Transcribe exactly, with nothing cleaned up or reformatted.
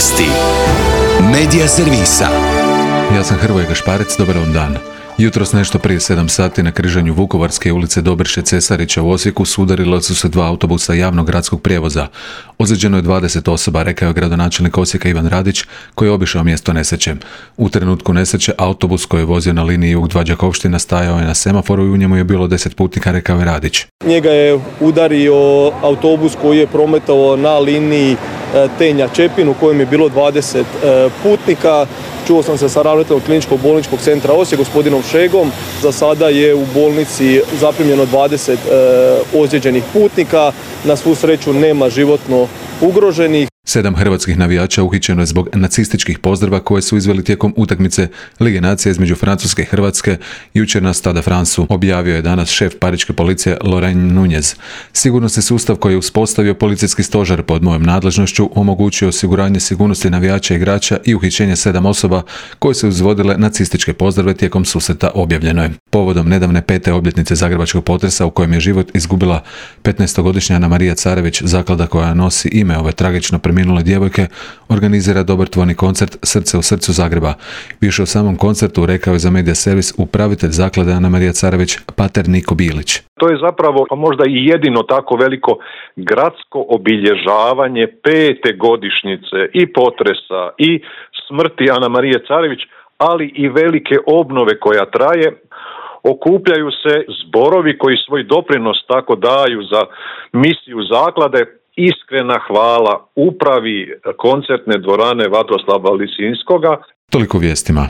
Vijesti Medija servisa. Ja sam Hrvoje Gašparec, dobar vam dan. Jutros nešto prije sedam sati na križanju Vukovarske ulice Dobriše Cesarića u Osijeku sudarila su se dva autobusa javnog gradskog prijevoza. Ozlijeđeno je dvadeset osoba, rekao je gradonačelnik Osijeka Ivan Radić, koji je obišao mjesto nesreće. U trenutku nesreće autobus koji je vozio na liniji jug dva Đakovština stajao je na semaforu i u njemu je bilo deset putnika, rekao je Radić. Njega je udario autobus koji je prometovao na liniji Tenja-Čepin u kojem je bilo dvadeset putnika. Čuo sam se sa ravnateljem kliničkog bolničkog centra Osijek, gospodinom Šegom. Za sada je u bolnici zaprimljeno dvadeset ozlijeđenih putnika. Na svu sreću nema životno ugroženih. Sedam hrvatskih navijača uhićeno je zbog nacističkih pozdrava koje su izveli tijekom utakmice Lige nacija između Francuske i Hrvatske jučer na Stade Francu, objavio je danas šef pariške policije Laurent Nunez. Sigurnosni sustav koji je uspostavio policijski stožer pod mojom nadležnošću omogućio osiguranje sigurnosti navijača i igrača i uhićenje sedam osoba koje su izvodile nacističke pozdrave tijekom susreta, objavljeno je. Povodom nedavne pete obljetnice zagrebačkog potresa u kojem je život izgubila petnaestogodišnja Anamarija Carević, zaklada koja nosi ime ove tragično preminule djevojke organizira dobrotvorni koncert Srce u srcu Zagreba. Više o samom koncertu rekao je za Medija servis upravitelj zaklade Anamarija Carević, pater Niko Bilić. To je zapravo pa možda i jedino tako veliko gradsko obilježavanje pete godišnjice i potresa i smrti Anamarije Carević, ali i velike obnove koja traje. Okupljaju se zborovi koji svoj doprinos tako daju za misiju zaklade. Iskrena hvala upravi koncertne dvorane Vatroslava Lisinskoga. Toliko vijestima.